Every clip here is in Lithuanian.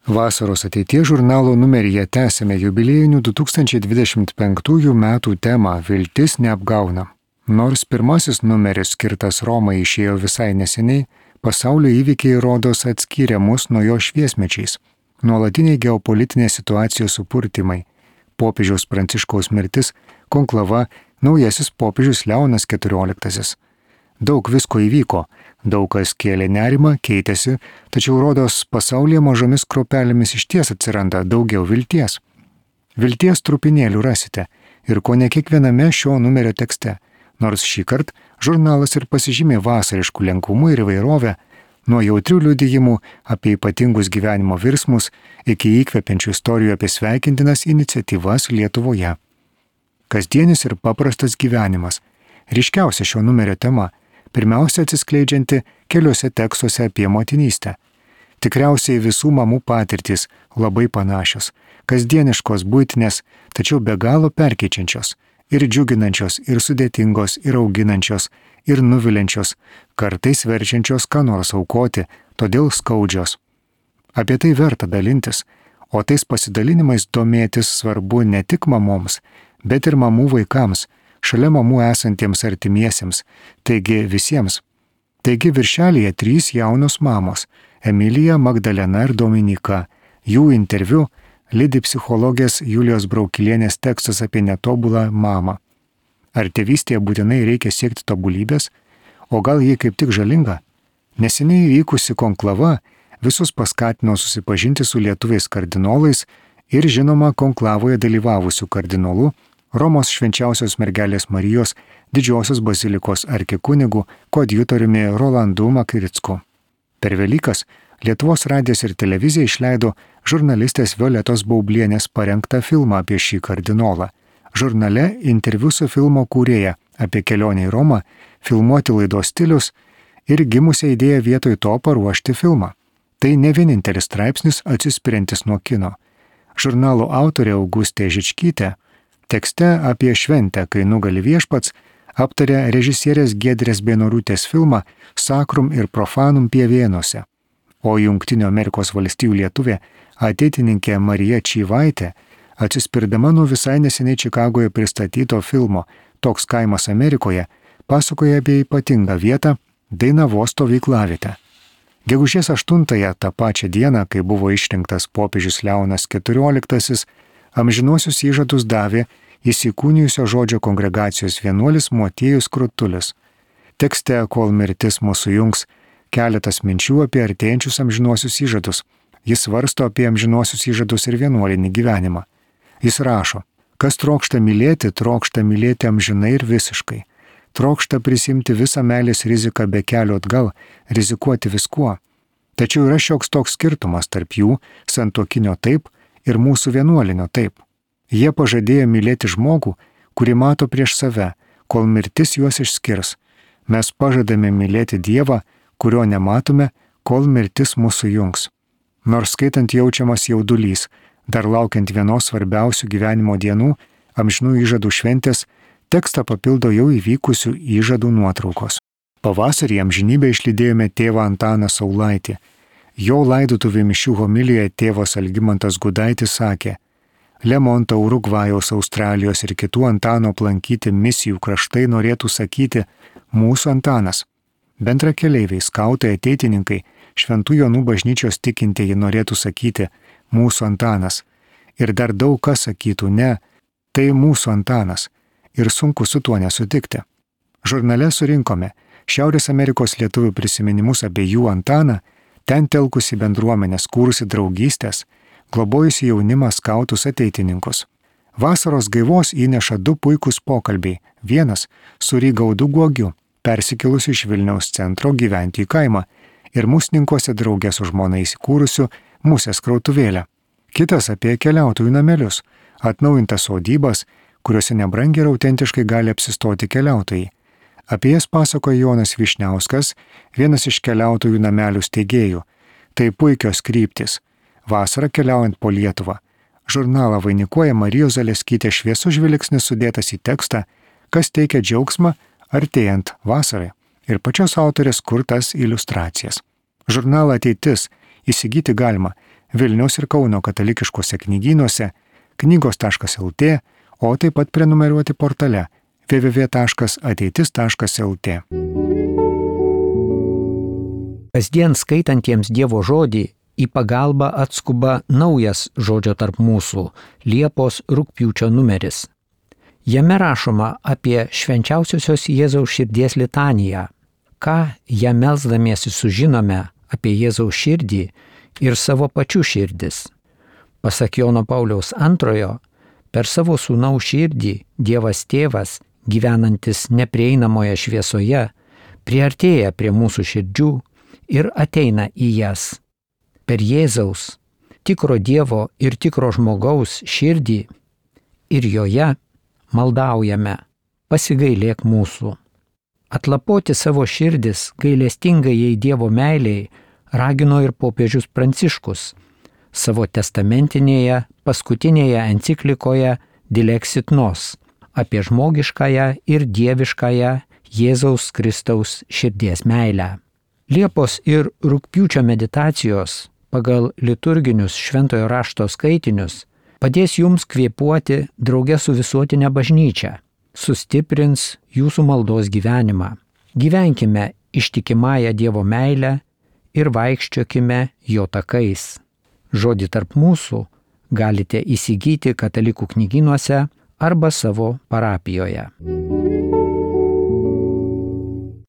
Vasaros ateities žurnalo numeryje tęsime jubiliejinių 2025 metų temą Viltis neapgauna. Nors pirmasis numeris skirtas Romai išėjo visai neseniai, pasaulio įvykiai rodos atskyrė mus nuo jo šviesmečiais. Nuolatiniai geopolitinės situacijos supurtimai, popiežiaus Pranciškaus mirtis, konklava, naujasis popiežius Leonas XIV. Daug visko įvyko, daug kas kėlė nerimą, keitėsi, tačiau rodos pasaulyje mažomis kruopelėmis išties atsiranda daugiau vilties. Vilties trupinėlių rasite ir kone kiekviename šio numerio tekste, nors šįkart žurnalas ir pasižymė vasariškų lengvumu ir įvairovę, nuo jautrių liudijimų apie ypatingus gyvenimo virsmus iki įkvepiančių istorijų apie sveikintinas iniciatyvas Lietuvoje. Kasdienis ir paprastas gyvenimas – ryškiausia šio numerio tema, pirmiausia atsiskleidžianti keliuose tekstuose apie motinystę. Tikriausiai visų mamų patirtys labai panašios, kasdieniškos, buitinės, tačiau be galo perkeičiančios, ir džiuginančios, ir sudėtingos, ir auginančios, ir nuviliančios, kartais verčiančios ką nors aukoti, todėl skaudžios. Apie tai verta dalintis, o tais pasidalinimais domėtis svarbu ne tik mamoms, bet ir mamų vaikams, šalia mamų esantiems artimiesiems, taigi visiems. Taigi viršelyje 3 jaunos mamos – Emilija, Magdalena ir Dominika. Jų interviu lydi psichologės Julijos Braukilienės tekstas apie netobulą mamą. Ar tėvystėje būtinai reikia siekti tobulybės? O gal ji kaip tik žalinga? Neseniai įvykusi konklava visus paskatino susipažinti su lietuviais kardinolais ir žinoma konklavoje dalyvavusių kardinolų Romos švenčiausios mergelės Marijos didžiosios bazilikos arkikunigu koadjutoriumi Rolandu Makricku. Per Velykas Lietuvos radijas ir televizija išleido žurnalistės Violetos Baublienės parengtą filmą apie šį kardinolą. Žurnale interviu su filmo kūrėja apie kelionę į Romą, filmuoti laidos stilius ir gimusią idėją vietoj to paruošti filmą. Tai ne vienintelis straipsnis atsispiriantis nuo kino. Žurnalo autorė Augustė Žičkytė tekste apie šventę, kai nugali viešpats, aptarė režisierės Giedrės Beinoriūtės filmą Sacrum ir Profanum Pievėnuose, o Jungtinių Amerikos valstijų lietuvė ateitininkė Marija Čyvaitė, atsispirdama nuo visai neseniai Čikagoje pristatyto filmo Toks kaimas Amerikoje, pasakoja apie ypatingą vietą Dainavos stovyklavietę. Gegužės 8-ąją tą pačią dieną, kai buvo išrinktas popiežius Leonas XIV, amžinuosius įžadus davė įsikūnijusio žodžio kongregacijos vienuolis Motiejus Krutulis. Tekste, kol mirtis mūsų jungs, keletas minčių apie artėjančius amžinuosius įžadus. Jis svarsto apie amžinuosius įžadus ir vienuolinį gyvenimą. Jis rašo, kas trokšta mylėti amžinai ir visiškai. Trokšta prisimti visą meilės riziką be kelio atgal, rizikuoti viskuo. Tačiau yra šioks toks skirtumas tarp jų, santuokinio taip, ir mūsų vienuolinio taip. Jie pažadėjo mylėti žmogų, kurį mato prieš save, kol mirtis juos išskirs. Mes pažadame mylėti Dievą, kurio nematome, kol mirtis mūsų jungs. Nors skaitant jaučiamas jaudulys, dar laukiant vienos svarbiausių gyvenimo dienų, amžinų įžadų šventės, tekstą papildo jau įvykusių įžadų nuotraukos. Pavasarį amžinybę išlydėjome tėvą Antaną Saulaitį. Jo laidotuvių mišių homilijoje tėvas Algimantas Gudaitis sakė, Lemonto, Urugvajaus, Australijos ir kitų Antano aplankyti misijų kraštai norėtų sakyti mūsų Antanas. Bendrakeleiviai, skautai, ateitininkai, Šventų Jonų bažnyčios tikintieji norėtų sakyti mūsų Antanas. Ir dar daug kas sakytų ne, tai mūsų Antanas. Ir sunku su tuo nesutikti. Žurnale surinkome Šiaurės Amerikos lietuvių prisiminimus apie jų Antaną, ten telkusi bendruomenės, kūrusi draugystės, globojusi jaunimą, skautus, ateitininkus. Vasaros gaivos įneša 2 puikūs pokalbiai. Vienas su Rygaudu Guogiu, persikilusi iš Vilniaus centro gyventi į kaimą ir Musninkuose draugė su žmona įsikūrusiu Musės krautuvėlę. Kitas apie keliautojų namelius, atnaujintas sodybas, kuriuose nebrangiai ir autentiškai gali apsistoti keliautojai. Apie jas pasakoja Jonas Vyšniauskas, vienas iš keliautojų namelių steigėjų. Tai puikios kryptis. Vasarą keliaujant po Lietuvą. Žurnalą vainikuoja Marijos Zaleskytės šviesus žvilgsnis sudėtas į tekstą, kas teikia džiaugsmą artėjant vasarai. Ir pačios autorės kurtas iliustracijas. Žurnalą Ateitis įsigyti galima Vilniaus ir Kauno katalikiškose knygynuose, knygos.lt, o taip pat prenumeruoti portale www.ateitis.lt. Kasdien skaitantiems Dievo žodį į pagalbą atskuba naujas Žodžio tarp mūsų Liepos-rugpjūčio numeris. Jame rašoma apie švenčiausiosios Jėzaus širdies litaniją, ką ją melsdamiesi sužinome apie Jėzaus širdį ir savo pačių širdis. Pasak Jono Pauliaus II, per savo sūnaus širdį Dievas Tėvas, gyvenantis neprieinamoje šviesoje, priartėja prie mūsų širdžių ir ateina į jas. Per Jėzaus, tikro Dievo ir tikro žmogaus širdį ir joje maldaujame, pasigailėk mūsų. Atlapoti savo širdis gailestingajai Dievo meiliai ragino ir popiežius Pranciškus savo testamentinėje paskutinėje enciklikoje Dilexit Nos apie žmogiškąją ir dieviškąją Jėzaus Kristaus širdies meilę. Liepos ir rugpjūčio meditacijos pagal liturginius šventojo rašto skaitinius padės jums kvėpuoti drauge su visuotinė bažnyčia, sustiprins jūsų maldos gyvenimą. Gyvenkime ištikimąją Dievo meilę ir vaikščiokime jo takais. Žodį tarp mūsų galite įsigyti katalikų knygynuose arba savo parapijoje.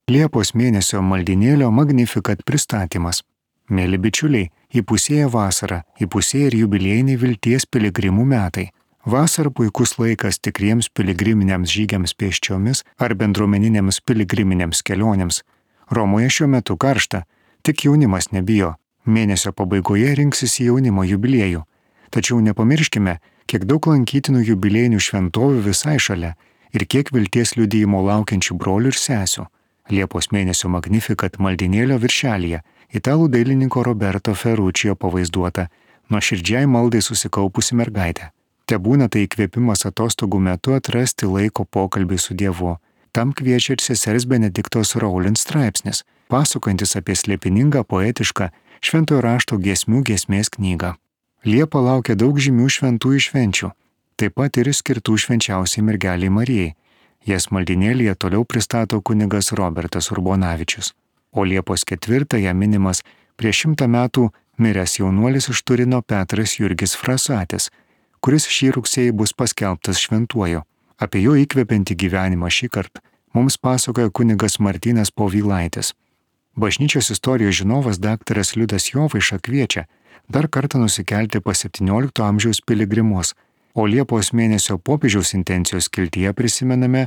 Liepos mėnesio maldinėlio Magnificat pristatymas. Mėly bičiuliai, įpusėja vasara, įpusėja ir jubiliejiniai vilties piligrimų metai. Vasara puikus laikas tikriems piligriminiams žygiams pėsčiomis ar bendruomeninėms piligriminėms kelionėms. Romoje šiuo metu karšta, tik jaunimas nebijo. Mėnesio pabaigoje rinksis į jaunimo jubiliejų. Tačiau nepamirškime, kiek daug lankytinų jubiliejinių šventovių visai šalia ir kiek vilties liudijimo laukiančių brolių ir sesių. Liepos mėnesio Magnificat maldinėlio viršelyje italų dailininko Roberto Ferruccio pavaizduota nuoširdžiai maldai susikaupusi mergaitė. Tebūna tai įkvėpimas atostogų metu atrasti laiko pokalbį su Dievu. Tam kviečia ir sesers Benediktos Rowland straipsnis, pasakojantis apie slėpiningą poetišką šventojo rašto giesmių giesmės knygą. Liepa laukia daug žymių šventųjų švenčių, taip pat ir skirtų švenčiausiai mergeliai Marijai. Jas maldinėlyje toliau pristato kunigas Robertas Urbonavičius. O Liepos 4 minimas prieš 100 metų miręs jaunuolis iš Turino Petras Jurgis Frasatis, kuris šį rugsėjį bus paskelbtas šventuoju. Apie jo įkvepiantį gyvenimą šįkart mums pasakoja kunigas Martynas Povilaitis. Bažnyčios istorijos žinovas daktaras Liudas Jovaiša kviečia dar kartą nusikelti pas 17 amžiaus piligrimus, o Liepos mėnesio popiežiaus intencijos skiltyje prisimename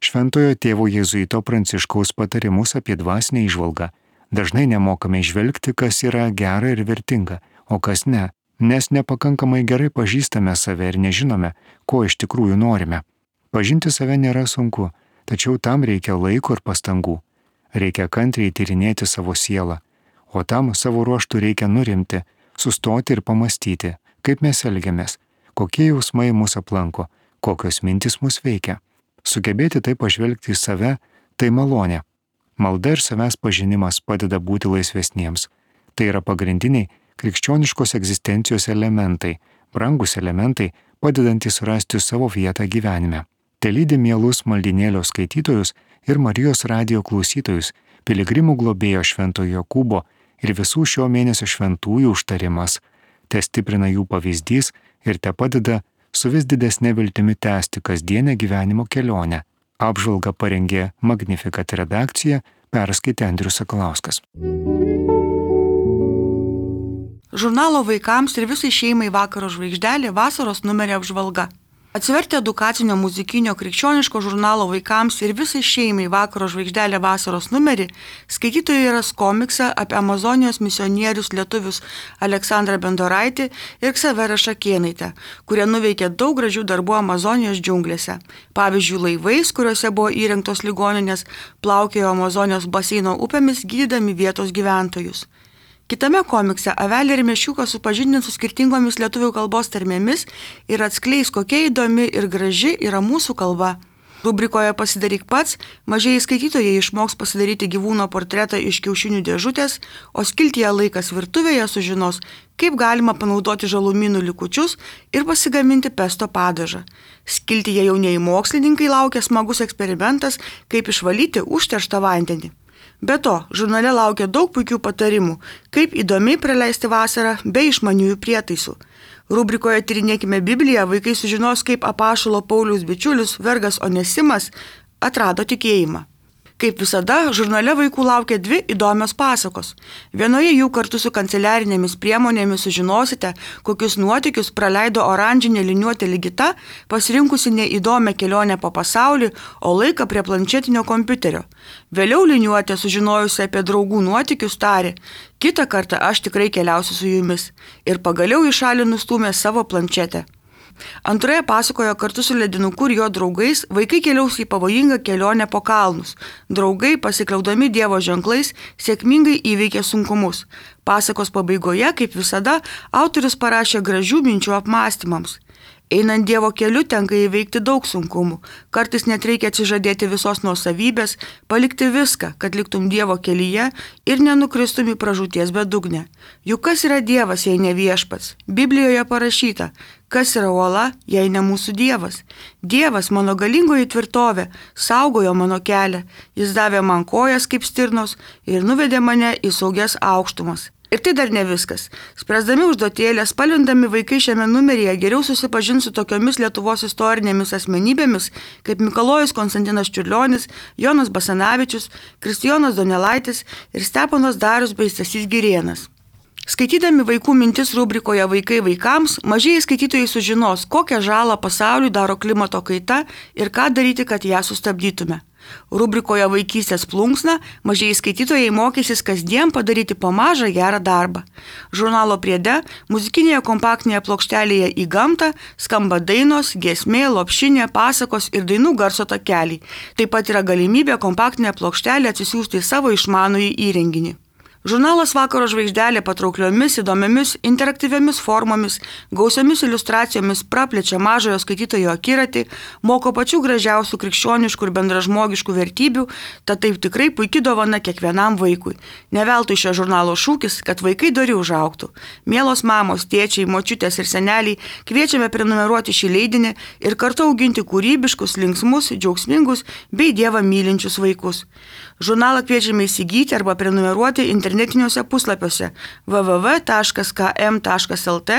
šventojo tėvo jėzuito Pranciškaus patarimus apie dvasinę įžvalgą. Dažnai nemokame žvelgti, kas yra gera ir vertinga, o kas ne, nes nepakankamai gerai pažįstame save ir nežinome, ko iš tikrųjų norime. Pažinti save nėra sunku, tačiau tam reikia laiko ir pastangų. Reikia kantriai tyrinėti savo sielą, o tam savo ruožtų reikia nurimti, sustoti ir pamastyti, kaip mes elgiamės, kokie jausmai mus aplanko, kokios mintis mus veikia. Sugebėti tai pažvelgti į save – tai malonė. Malda ir savęs pažinimas padeda būti laisvesniems. Tai yra pagrindiniai krikščioniškos egzistencijos elementai, brangus elementai, padedantys rasti savo vietą gyvenime. Tai lydi mielus maldinėlio skaitytojus ir Marijos radijo klausytojus, piligrimų globėjo Šventojo Jokūbo ir visų šio mėnesio šventųjų užtarimas. Te stiprina jų pavyzdys ir te padeda su vis didesnė viltimi tęsti kasdienę gyvenimo kelionę. Apžvalgą parengė Magnificat redakcija, perskaitė Andrius Sakalauskas. Žurnalo vaikams ir visai šeimai Vakaro žvaigždelė vasaros numerio apžvalga. Atsivertę edukacinio muzikinio krikščioniško žurnalo vaikams ir visai šeimai Vakaro žvaigždelė vasaros numerį, skaitytojai ras komiksą apie Amazonijos misionierius lietuvius Aleksandrą Bendoraitį ir Ksaverą Šakėnaitę, kurie nuveikė daug gražių darbų Amazonijos džiunglėse. Pavyzdžiui, laivais, kuriuose buvo įrengtos ligoninės, plaukiojo Amazonijos baseino upėmis gydydami vietos gyventojus. Kitame komikse avelė ir meškiukas supažindins su skirtingomis lietuvių kalbos tarmėmis ir atskleis, kokia įdomi ir graži yra mūsų kalba. Rubrikoje Pasidaryk pats mažieji skaitytojai išmoks pasidaryti gyvūno portretą iš kiaušinių dėžutės, o skiltyje Laikas virtuvėje sužinos, kaip galima panaudoti žalumynų likučius ir pasigaminti pesto padažą. Skiltyje jaunieji mokslininkai laukia smagus eksperimentas, kaip išvalyti užterštą vandenį. Be to, žurnale laukia daug puikių patarimų, kaip įdomiai praleisti vasarą be išmaniųjų prietaisų. Rubrikoje Tyrinėkime Bibliją vaikai sužinos, kaip apaštalo Pauliaus bičiulis vergas Onesimas atrado tikėjimą. Kaip visada, žurnale vaikų laukia 2 įdomios pasakos. Vienoje jų kartu su kanceliarinėmis priemonėmis sužinosite, kokius nuotykius praleido oranžinė liniuotė Ligita, pasirinkusi neįdomią kelionę po pasaulį, o laiką prie planšetinio kompiuterio. Vėliau liniuotė, sužinojusi apie draugų nuotykius, tarė: kitą kartą aš tikrai keliausiu su jumis. Ir pagaliau į šalį nustūmė savo planšetę. Antroje pasakojo kartu su ledinuku ir jo draugais vaikai keliaus į pavojingą kelionę po kalnus. Draugai, pasikliaudami Dievo ženklais, sėkmingai įveikė sunkumus. Pasakos pabaigoje, kaip visada, autorius parašė gražių minčių apmąstymams. Einant Dievo keliu tenka įveikti daug sunkumų. Kartais net reikia atsižadėti visos nuosavybės, palikti viską, kad liktum Dievo kelyje ir nenukristum į pražūties bedugnę. Juk kas yra Dievas, jei ne viešpats? Biblijoje parašyta: kas yra uola, jei ne mūsų Dievas? Dievas, mano galingoji tvirtovė, saugojo mano kelią. Jis davė man kojas kaip stirnos ir nuvedė mane į saugias aukštumas. Ir tai dar ne viskas. Spręsdami užduotėlės, spalvindami vaikai šiame numeryje geriau susipažins su tokiomis Lietuvos istorinėmis asmenybėmis, kaip Mikalojus Konstantinas Čiurlionis, Jonas Basanavičius, Kristijonas Donelaitis ir Steponas Darius bei Stasys Girėnas. Skaitydami vaikų mintis rubrikoje Vaikai vaikams, mažieji skaitytojai sužinos, kokią žalą pasauliui daro klimato kaita ir ką daryti, kad ją sustabdytume. Rubrikoje Vaikystės plunksna mažieji skaitytojai mokysis kasdien padaryti po mažą gerą darbą. Žurnalo priede muzikinėje kompaktinėje plokštelėje Į gamtą skamba dainos, giesmė, lopšinė, pasakos ir dainų garso takeliai. Taip pat yra galimybė kompaktinę plokštelę atsisiųsti į savo išmanųjį įrenginį. Žurnalas Vakaro žvaigždelė patraukliomis, įdomiamis, interaktyviomis formomis, gausiomis iliustracijomis praplečia mažojo skaitytojo akiratį, moko pačių gražiausių krikščioniškų ir bendražmogiškų vertybių, tad taip tikrai puikiai dovana kiekvienam vaikui. Ne veltui šio žurnalo šūkis, kad vaikai dori užaugtų. Mielos mamos, tėčiai, močiutės ir seneliai, kviečiame prenumeruoti šį leidinį ir kartu auginti kūrybiškus, linksmus, džiaugsmingus bei Dievą mylinčius vaikus. Žurnalą kviečiame įsigyti arba prenumeruoti internetiniuose puslapiuose www.km.lt,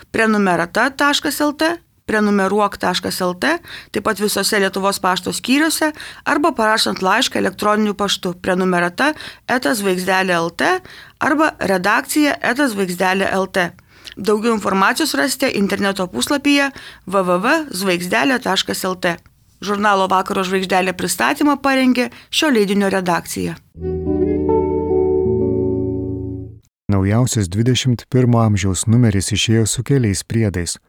prenumerata.lt, prenumeruok.lt, taip pat visose Lietuvos pašto skyriuose arba parašant laišką elektroniniu paštu prenumerata@žvaigždelė.lt arba redakcija@žvaigždelė.lt. Daugiau informacijos rasite interneto puslapyje www.žvaigždelė.lt. Žurnalo Vakaro žvaigždelė pristatymą parengė šio leidinio redakcija. Naujausias 21 amžiaus numeris išėjo su keliais priedais.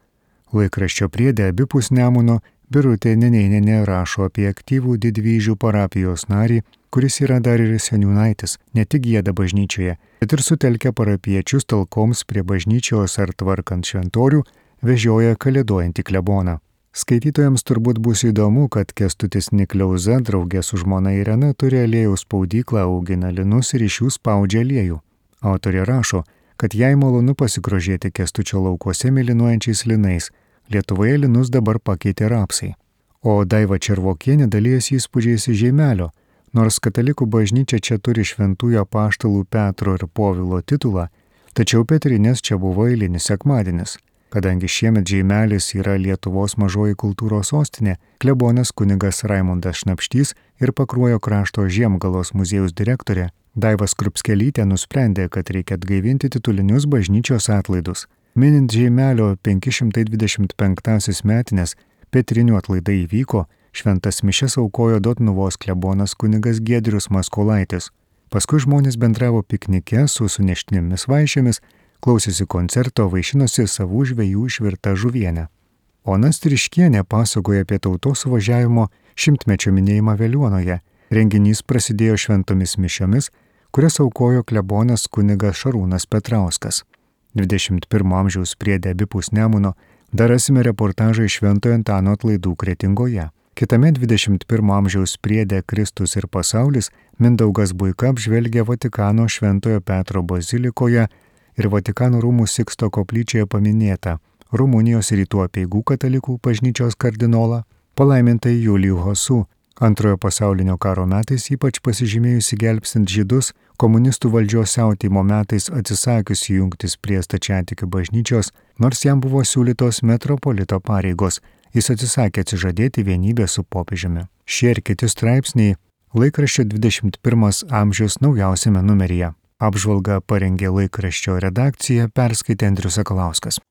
Laikraščio priede abipus Nemuno Birutė Nenėnienė rašo apie aktyvų Didvyžių parapijos narį, kuris yra dar ir seniūnaitis, ne tik gieda bažnyčioje, bet ir sutelkia parapiečius talkoms prie bažnyčios ar tvarkant šventorių, vežioja kalėdojantį kleboną. Skaitytojams turbūt bus įdomu, kad Kęstutis Nikliauza draugė su žmona Irena turi aliejaus spaudyklą, augina linus ir iš jų spaudžia aliejų. Autorė rašo, kad jai malonu pasigrožėti Kęstučio laukuose mėlynuojančiais linais. Lietuvoje linus dabar pakeitė rapsai. O Daiva Červokienė dalijasi įspūdžiais iš Žeimelio. Nors katalikų bažnyčia čia turi šventųjų apaštalų Petro ir Povilo titulą, tačiau Petrinės čia buvo eilinis sekmadienis. Kadangi šiemet Žeimelis yra Lietuvos mažoji kultūros sostinė, klebonas kunigas Raimundas Šnapštys ir Pakruojo krašto Žiemgalos muziejaus direktorė Daiva Skrupskelytė nusprendė, kad reikia atgaivinti titulinius bažnyčios atlaidus. Minint Žeimelio 525 metinės, Petrinių atlaidai įvyko, šventas mišias aukojo Dotnuvos klebonas kunigas Giedrius Maskolaitis. Paskui žmonės bendravo piknike su suneštinėmis vaišėmis, klausėsi koncerto, vaišinosi savų žvejų išvirtą žuvienę. Ona Striškienė pasakoja apie tautos suvažiavimo 100-mečio minėjimą Veliuonoje. Renginys prasidėjo šventomis mišiomis, kurias aukojo klebonas kunigas Šarūnas Petrauskas. 21 amžiaus priede abipus Nemuno dar rasime reportažą iš Šventojo Antano atlaidų Kretingoje. Kitame 21 amžiaus priede Kristus ir pasaulis Mindaugas Buika apžvelgia Vatikano Šventojo Petro bazilikoje ir Vatikano rūmų Siksto koplyčioje paminėtą Rumunijos rytų apeigų katalikų bažnyčios kardinolą, palaimintai Julijų Hosų, Antrojo pasaulinio karo metais ypač pasižymėjusi gelbstint žydus, komunistų valdžios siautėjimo metais atsisakiusi jungtis prie stačiatikių bažnyčios, nors jam buvo siūlytos metropolito pareigos, jis atsisakė atsižadėti vienybę su popiežiumi. Šie ir kiti straipsniai laikraščio 21 amžiaus naujausiame numeryje. Apžvalgą parengė laikraščio redakcija, perskaitė Andrius Sakalauskas.